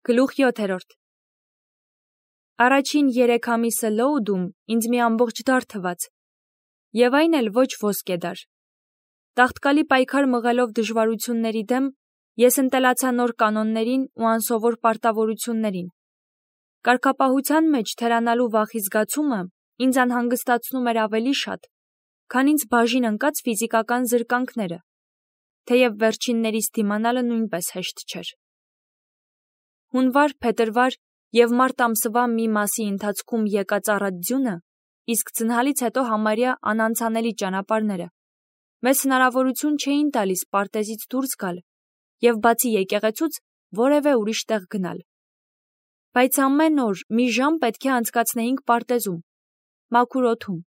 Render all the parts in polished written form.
Գլուխ 7. Առաջին 3 ամիսը լոուդում ինձ մի ամբողջ դար թվաց, և այն էլ ոչ ոսկեդար։ Տաղտկալի պայքար մղելով դժվարությունների դեմ, ես ընտելացա նոր կանոններին ու անսովոր պարտավորություններին։ Կարգապահության մեջ թերանալու վախի զգացումը ինձ անհանգստացնում էր ավելի շատ, քան ինձ բաժին ընկած ֆիզիկական զրկանքները, թեև վերջիններից դիմանալը նույնպես հեշտ չէր։ Հունվար, փետրվար և մարտ ամսվա մի մասի ընթացքում եկած առատ ձյունը, իսկ ձնհալից հետո համարյա անանցանելի ճանապարհները, մեզ հնարավորություն չէին տալիս պարտեզից դուրս գալ և բացի եկեղեցուց որևէ ուրիշ տեղ գնալ։ Բայց ամեն օր մի ժամ պետք է անցկացնեինք պարտեզում, մաքուր օդում։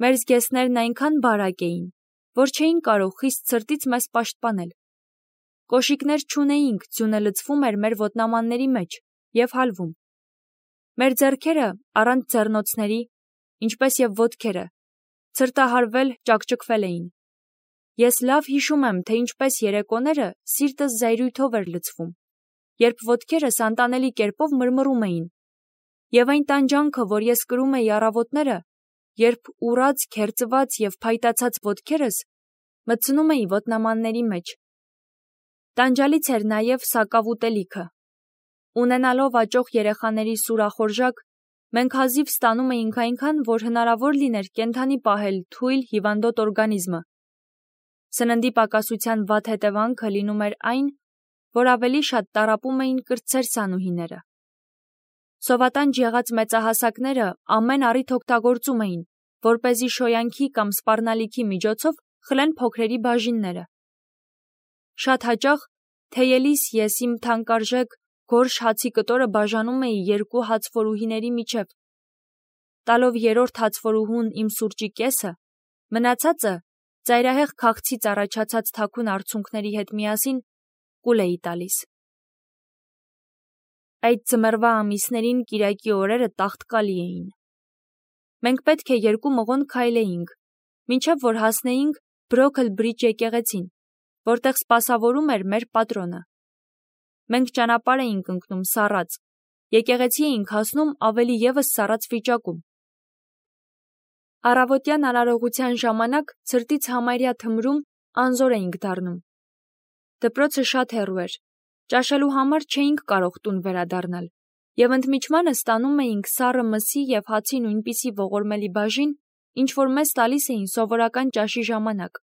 Մեր զգեստներն այնքան բարակ էին, որ չէին կարող խիստ ցրտից մեզ պաշտպանել։ Կոշիկներ չունեինք, ձյունը լցվում էր մեր ոտնամանների մեջ և հալվում։ Մեր ձեռքերը առանց ձեռնոցների, ինչպես և ոտքերը, ցրտահարվել, ճաքճքվել էին։ Ես լավ հիշում եմ, թե ինչպես երեկոները սիրտս զայրույթով էր լցվում, երբ ոտքերս անտանելի կերպով մռմռում էին, և այն տանջանքը, որ ես կրում էի առավոտները, երբ ուռած, քերծված և փայտացած ոտքերս մտցնում էի ոտնամանների մեջ։ Տանջալից էր նաև սակավ ուտելիքը։ Ունենալով աճող երեխաների սուրախորժակ, մենք հազիվ ստանում էինք այնքան, որ հնարավոր լիներ կենդանի պահել թույլ, հիվանդոտ օրգանիզմը։ Սննդի պակասության վատ հետևանքը լինում էր այն, որ ավելի շատ տառապում էին կրտսեր սանուհիները։ Սովատանջ եղած մեծահասակները ամեն առիթ օգտագործում էին, որպեսզի շոյանքի կամ սպառնալիքի միջոցով խլեն փոքրերի բաժինները։ Շատ հաճախ, թեյելիս ես իմ թանկարժեք գորշ հացի կտորը բաժանում էի 2 հացֆորուհիների միջև, տալով 3-րդ հացֆորուհուն իմ սուրճի կեսը, մնացածը ծայրահեղ քաղցից առաջացած թաքուն արցունքների հետ միասին կուլ էի տալիս։ Այդ ձմեռվա ամիսներին կիրակի օրերը տաղտկալի էին։ Մենք պետք է 2 մղոն քայլեինք, մինչև որ հասնեինք Բրոքլ Բրիջ եկեղեցին, որտեղ սպասավորում էր մեր պատրոնը։ Մենք ճանապարհ էինք ընկնում սառած, եկեղեցի էինք հասնում ավելի ևս սառած վիճակում։ Առավոտյան արարողության ժամանակ ցրտից համարյա թմրում անզոր էինք դառնում։ Դպրոցը շատ հեռու էր, ճաշելու համար չէինք կարող տուն վերադառնալ, և ընդմիջմանը ստանում էինք սառը մսի և հացի նույնպիսի ողորմելի բաժին, ինչ որ մեզ տալիս էին սովորական ճաշի ժամանակ։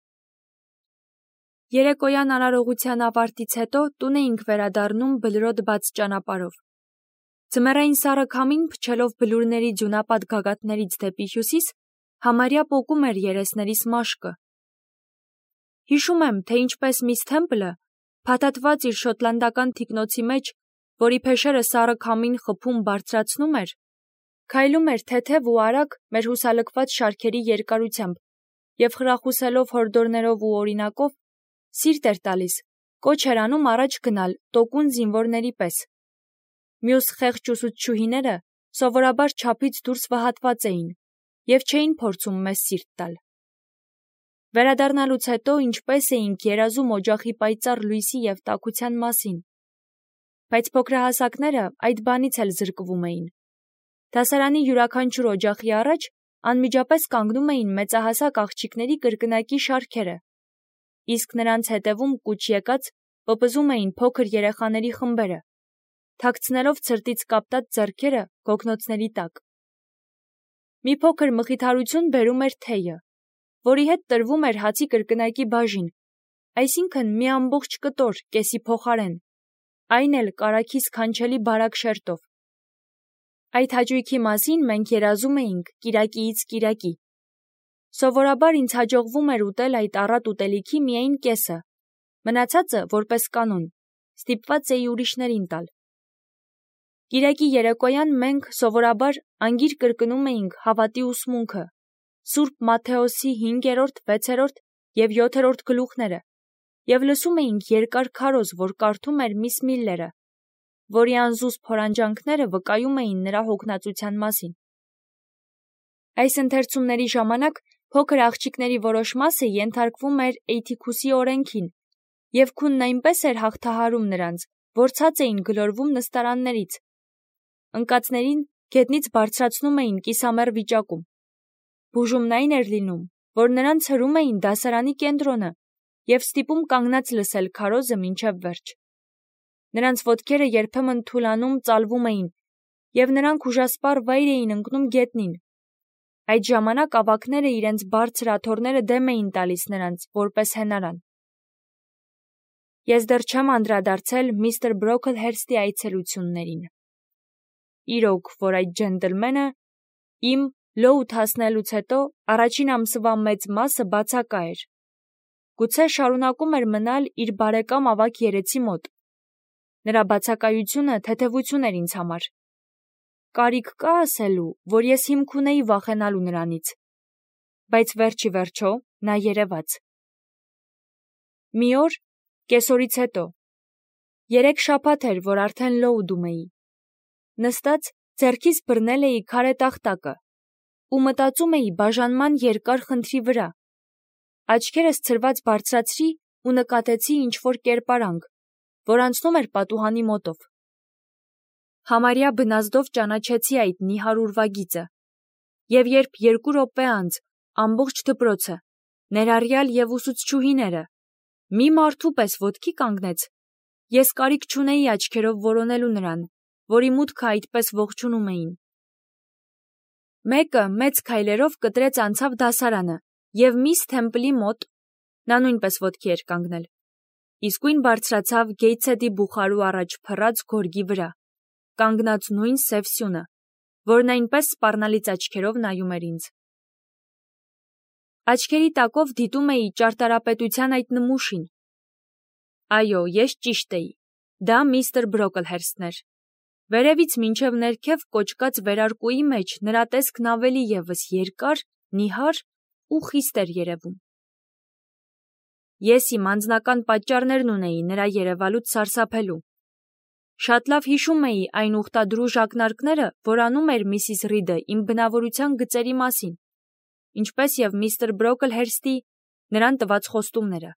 Երեկոյան արարողության ավարտից հետո տուն էինք վերադառնում բլրոտ բաց ճանապարհով։ Ձմեռային սառը քամին փչելով բլուրների ձյունապատ գագաթներից դեպի հյուսիս, համարյա պոկում էր երեսներիս մաշկը։ Հիշում եմ, թե ինչպես միս Թեմպլը, փաթաթված իր շոտլանդական թիկնոցի մեջ, որի փեշերը սառը քամին խփում բարձրացնում էր, քայլում էր թեթև ու արագ մեր հուսալքված շարքերի երկարությամբ և խրախուսելով հորդորներով ու օրինակով, սիրտ էր տալիս, կոչ էր անում առաջ գնալ տոկուն զինվորների պես։ Մյուս խեղճ ուսուցչուհիները սովորաբար չափից դուրս վհատված էին և չէին փորձում մեզ սիրտ տալ։ Վերադառնալուց հետո ինչպես էինք երազում օջախի պայծառ լույսի և տաքության մասին։ Բայց փոքրահասակները այդ բանից էլ զրկվում էին։ Դասարանի յուրաքանչյուր օջախի առաջ անմիջապես կանգնում էին մեծահասակ աղջիկների կրկնակի շարքերը, իսկ նրանց հետևում կուչ եկած պպզում էին փոքր երեխաների խմբերը, թաքցնելով ցրտից կապտած ձեռքերը գոգնոցների տակ։ Մի փոքր մխիթարություն բերում էր թեյը, որի հետ տրվում էր հացի կրկնակի բաժին, այսինքն մի ամբողջ կտոր կեսի փոխարեն, այն էլ կարագի սքանչելի բարակ շերտով։ Այդ հաճույքի մասին մենք երազում էինք կիրակիից կիրակի։ Սովորաբար ինձ հաջողվում էր ուտել այդ առատ ուտելիքի միայն կեսը, մնացածը, որպես կանոն, ստիպված էի ուրիշներին տալ։ Կիրակի երեկոյան մենք սովորաբար անգիր կրկնում էինք հավատի ուսմունքը, Սուրբ Մատթեոսի 5-րդ, 6-րդ և 7-րդ գլուխները և լսում էինք երկար քարոզ, որ կարդում էր միս Միլլերը, որի անզուսպ հորանջանքները վկայում էին նրա հոգնածության մասին։ Այս ընթերցումների ժամանակ փոքր աղջիկների որոշ մասը ենթարկվում էր Էյթիքուսի օրենքին, և քունն այնպես էր հաղթահարում նրանց, որ ցած էին գլորվում նստարաններից։ Ընկածներին գետնից բարձրացնում էին կիսամեռ վիճակում։ Բուժումն այն էր լինում, որ նրանց հրում էին դասարանի կենտրոնը և ստիպում կանգնած լսել քարոզը մինչև վերջ։ Նրանց ոտքերը երբեմն թուլանում ծալվում էին, և նրանք ուժասպառ վայր էին ընկնում գետնին։ Այդ ժամանակ ավագները իրենց բարձր աթոռները դեմ էին տալիս նրանց, որպես հենարան։ Ես դեռ չեմ անդրադարձել միստր Բրոքլհերստի այցելություններին։ Իրոք, որ այդ ջենտլմենը իմ Լոուդ հասնելուց հետո առաջին ամսվա մեծ մասը բացակա էր։ Գուցե շարունակում էր մնալ իր բարեկամ ավագ երեցի մոտ։ Նրա բացակայությունը թեթևություն էր ինձ համար։ Կարիք կա ասելու, որ ես հիմք ունեի վախենալու նրանից, բայց վերջի վերջո նա երևաց։ Մի օր, կեսօրից հետո, 3 շաբաթ էր, որ արդեն Լոուդում էի։ Նստած ձեռքիս բռնել էի քարե տախտակը ու մտածում էի բաժանման երկար խնդրի վրա։ Աչքերս ցրված բարձրացրի ու նկատեցի ինչ-որ կերպարանք, որ անցնում էր պատուհանի մոտով։ Համարյա բնազդով ճանաչեցի այդ նիհար ուրվագիծը, և երբ 2 րոպե անց ամբողջ դպրոցը, ներառյալ և ուսուցչուհիները, մի մարդու պես ոտքի կանգնեց, ես կարիք չունեի աչքերով որոնելու նրան, որի մուտքը այդպես ողջունում էին։ Մեկը մեծ քայլերով կտրեց անցավ դասարանը և միս Թեմպլի մոտ, նա նույնպես ոտքի էր կանգնել, իսկույն բարձրացավ Գեյթսեթի բուխարու առաջ փռած գորգի վրա, կանգնած նույն սև սյունը, որն այնպես սպառնալից աչքերով նայում էր ինձ։ Աչքերի տակով դիտում էի ճարտարապետության այդ նմուշին։ Այո, ես ճիշտ էի, դա միստր Բրոքլհերստն էր։ Վերևից մինչև ներքև կոճկած վերարկուի մեջ նրա տեսքն ավելի ևս երկար, նիհար ու խիստ էր երևում։ Ես իմ անձնական պատճառներն ունեի նրա երևալուց սարսափելու։ Շատ լավ հիշում էի այն ուխտադրուժ ակնարկները, որ անում էր Միսիս Ռիդը իմ բնավորության գծերի մասին, ինչպես և միստր Բրոքլհերստի նրան տված խոստումները։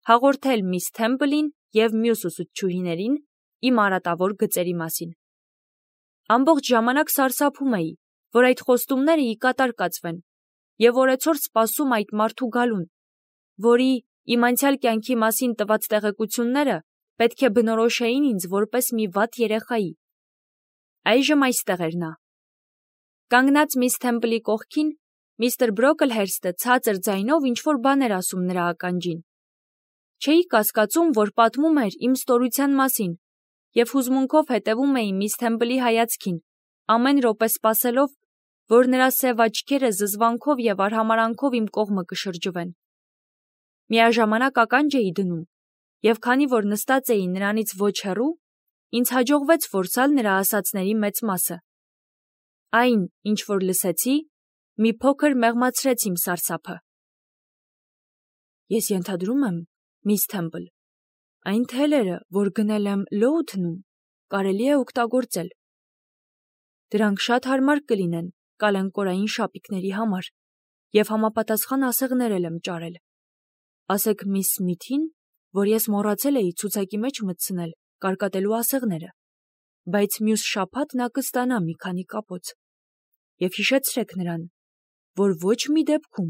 Հաղորդել միս Թեմպլին և մյուս ուսուցչուհիներին իմ արատավոր գծերի մասին։ Ամբողջ ժամանակ սարսափում էի, որ այդ խոստումները ի կատար կացվեն, և օրեցօր սպասում այդ մարդու գալուն, որի իմ անցյալ կյանքի մասին տված տեղեկությունները պետք է բնորոշեին ինձ որպես մի վատ երեխայի։ Այժմ այստեղ էր նա։ Կանգնած միս Թեմպլի կողքին, միստր Բրոքլհերստը ցածր ձայնով ինչ-որ բան էր ասում նրա ականջին։ Չէի կասկածում, որ պատմում էր իմ ստորության մասին, և հուզմունքով հետևում էի միս Թեմպլի հայացքին, ամեն րոպե սպասելով, որ նրա սև աչքերը զզվանքով և արհամարհանքով իմ կողմը կշրջվեն։ Միաժամանակ ականջ էի դնում, և քանի որ նստած էի նրանից ոչ հեռու, ինձ հաջողվեց որսալ նրա ասածների մեծ մասը։ Այն, ինչ որ լսեցի, մի փոքր մեղմացրեց իմ սարսափը։ Ես ենթադրում եմ, միս Թեմպլ, այն թելերը, որ գնել եմ Լոուդնում, կարելի է օգտագործել։ Դրանք շատ հարմար կլինեն կալենկորային շապիկների համար, և համապատասխան ասեղներ էլ եմ ճարել։ Ասեք միս Սմիթին, որ ես մոռացել էի ցուցակի մեջ մտցնել կարկատելու ասեղները, բայց մյուս շաբաթ նա կստանա մի քանի կապոց։ Եվ հիշեցրեք նրան, որ ոչ մի դեպքում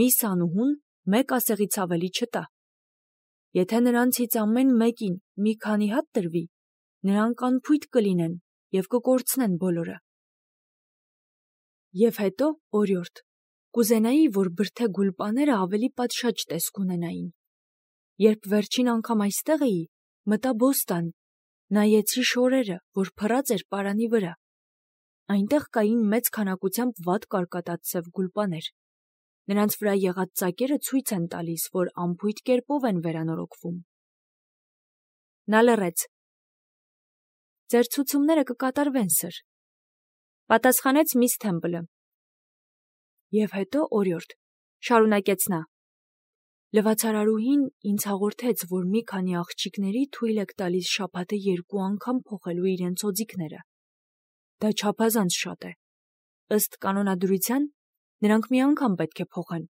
միս Անուհուն մեկ ասեղից ավելի չտա։ Եթե նրանցից ամեն մեկին մի քանի հատ տրվի, նրանք անփույթ կլինեն և կկորցնեն բոլորը։ Եվ հետո, օրիորդ, կուզենայի, որ բրդե գուլպաները ավելի պատշաճ տեսք ունենային։ Երբ վերջին անգամ այստեղ էի, մտա բոստան, նայեցի շորերը, որ փռած էր պարանի վրա։ Այնտեղ կային մեծ քանակությամբ վատ կարկատած սև գուլպաներ։ Նրանց վրա եղած ծակերը ցույց են տալիս, որ անփույթ կերպով են վերանորոգվում։ Նա լռեց։ Ձեր ցուցումները կկատարվեն, սըր, պատասխանեց միս Թեմպլը։ Եվ հետո, օրիորդ, շարունակեց նա, լվացարարուհին ինձ հաղորդեց, որ մի քանի աղջիկների թույլ եք տալիս շաբաթը 2 անգամ փոխելու իրենց օձիքները։ Դա չափազանց շատ է։ Ըստ կանոնադրության, նրանք մի անգամ պետք է փոխեն։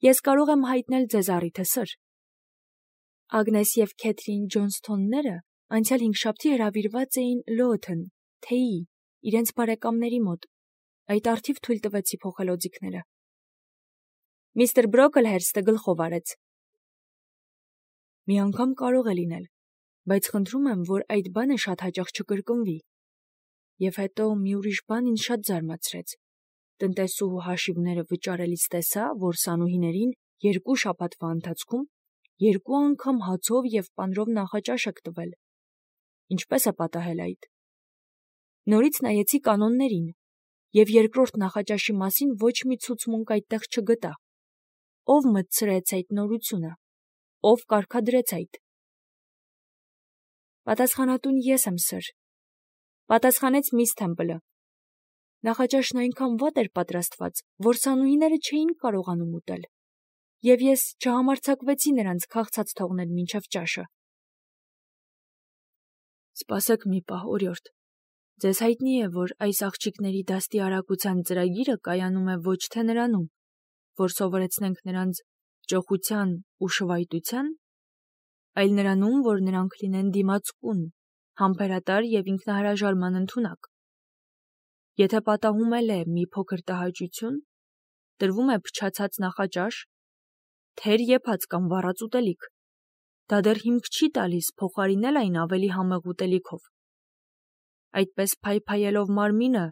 Ես կարող եմ հայտնել ձեզ առիթը, սըր։ Ագնես և Քեթրին Ջոնսթոնները անցյալ հինգշաբթի հրավիրված էին Լոթն, թեյի, իրենց բարեկամների մոտ, այդ արդիվ թույլ տվեցի փոխել օձիքները։ Միստր Բրոքլհերստը գլխով արեց։ Մի անգամ կարող է լինել, բայց խնդրում եմ, որ այդ բանը շատ հաճախ չկրկնվի։ Եվ հետո մի ուրիշ բան ինձ շատ զարմացրեց։ Տնտեսուհու հաշիվները վճարելիս տեսա, որ Սանուհիներին 2 շաբաթվա ընթացքում 2 անգամ հացով և պանրով նախաճաշ եք տվել։ Ինչպես է պատահել այդ։ Նորից նայեցի կանոններին, և երկրորդ նախաճաշի մասին ոչ մի ցուցմունք այդտեղ չգտա։ Ով մտցրեց այդ նորությունը։ Ով կարգադրեց այդ։ Պատասխանատուն ես եմ, սըր, պատասխանեց միս Թեմպլը։ Նախաճաշն այնքան վատ էր պատրաստված, որ Սանուհիները չէին կարողանում ուտել, և ես չհամարձակվեցի նրանց քաղցած թողնել մինչև ճաշը։ Սպասեք մի պահ, օրիորդ։ Ձեզ հայտնի է, որ այս աղջիկների դաստիարակության ծրագիրը կայանում է ոչ թե նրանում, որ սովորեցնենք նրանց ճոխության ու շվայտության, այլ նրանում, որ նրանք լինեն դիմացկուն, համբերատար և ինքնահրաժարման ընդունակ։ Եթե պատահում էլ է մի փոքր տհաճություն, տրվում է փչացած նախաճաշ, թեր եփած կամ վառած ուտելիք, դա դեռ հիմք չի տալիս փոխարինել այն ավելի համեղ ուտելիքով։ Այդպես փայփայելով մարմինը,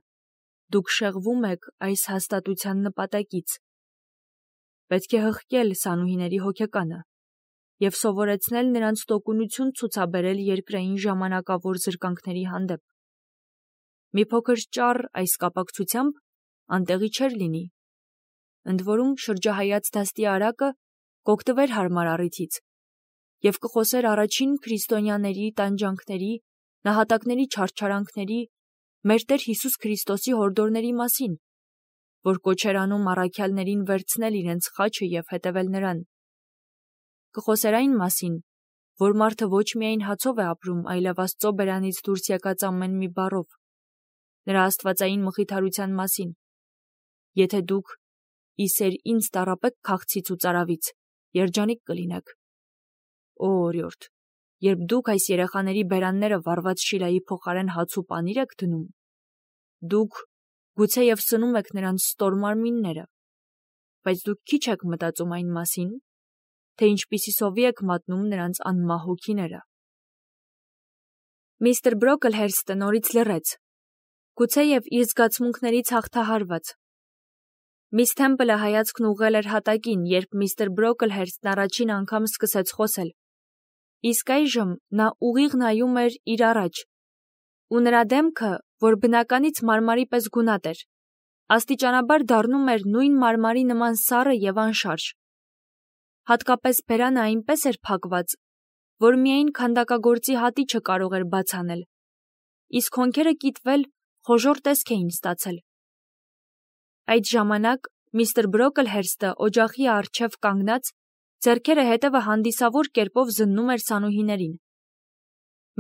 դուք շեղվում եք այս հաստատության նպատակից։ Պետք է հղկել Սանուհիների հոգեկանը և սովորեցնել նրանց տոկունություն ցուցաբերել երկրային ժամանակավոր զրկանքների հանդեպ։ Մի փոքր ճառ այս կապակցությամբ անտեղի չէր լինի։ Ընդ որում շրջահայաց դաստիարակը կօգտվեր հարմար առիթից և կխոսեր առաջին քրիստոնյաների տանջանքների, նահատակների չարչարանքների, մեր Տեր Հիսուս Քրիստոսի հորդորների մասին, որ կոչ էր անում առաքյալներին վերցնել իրենց խաչը և հետևել նրան։ Կխոսեր այն մասին, որ մարդը ոչ միայն հացով է ապրում, այլև Աստծո բերանից դուրս եկած ամեն մի բառով, նրա աստվածային մխիթարության մասին։ Եթե դուք իսեր ինձ տառապեք քաղցից ու ծարավից, երջանիկ կլինեք։ Օ, օրիորդ, երբ դուք այս երեխաների բերանները վառված շիլայի փոխարեն հաց ու պանիր եք դնում, դուք գուցեև սնում եք նրանց ստոր մարմինները, բայց դուք քիչ եք մտածում այն մասին, թե ինչպիսի սովի եք մատնում նրանց անմահ հոգիները։ Միստր Բրոքլհերստը նորից լռեց, գուցեև իր զգացմունքներից հաղթահարված։ Միս Թեմպլը հայացքն ուղղել էր հատակին, երբ միստր Բրոքլհերստն առաջին անգամ սկսեց խոսել։ Իսկ այժմ նա ուղիղ նայում էր իր առաջ, ու նրա դեմքը, որ բնականից մարմարի պես գունատ էր, աստիճանաբար դառնում էր նույն մարմարի նման սառը և անշարժ։ Հատկապես բերանը այնպես էր փակված, որ միայն քանդակագործի հատիչը կարող էր բաց անել, իսկ հոնքերը կիտվել խոժոռ տեսք էին ստացել։ Այդ ժամանակ միստր Բրոքլհերստը օջախի առջև կանգնած, ձեռքերը հետևը հանդիսավոր կերպով զննում էր Սանուհիներին։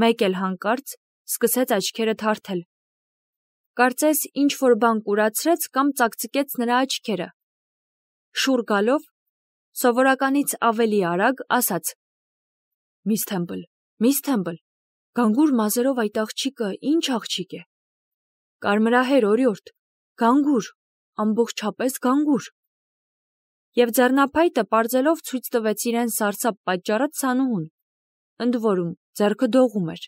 Մեկ էլ հանկարծ սկսեց աչքերը թարթել։ Կարծես ինչ-որ բան կուրացրեց կամ ծակծկեց նրա աչքերը։ Շուռ գալով, սովորականից ավելի արագ ասաց. Միս Թեմպլ, գանգուր մազերով այդ աղջիկը ինչ աղջիկ է։ Կարմրահեր, օրիորդ, գանգուր, ամբողջապես գանգուր։ Եվ ձեռնափայտը պարզելով ցույց տվեց իրեն սարսափ պատճառած Սանուհուն, ընդ որում ձեռքը դողում էր։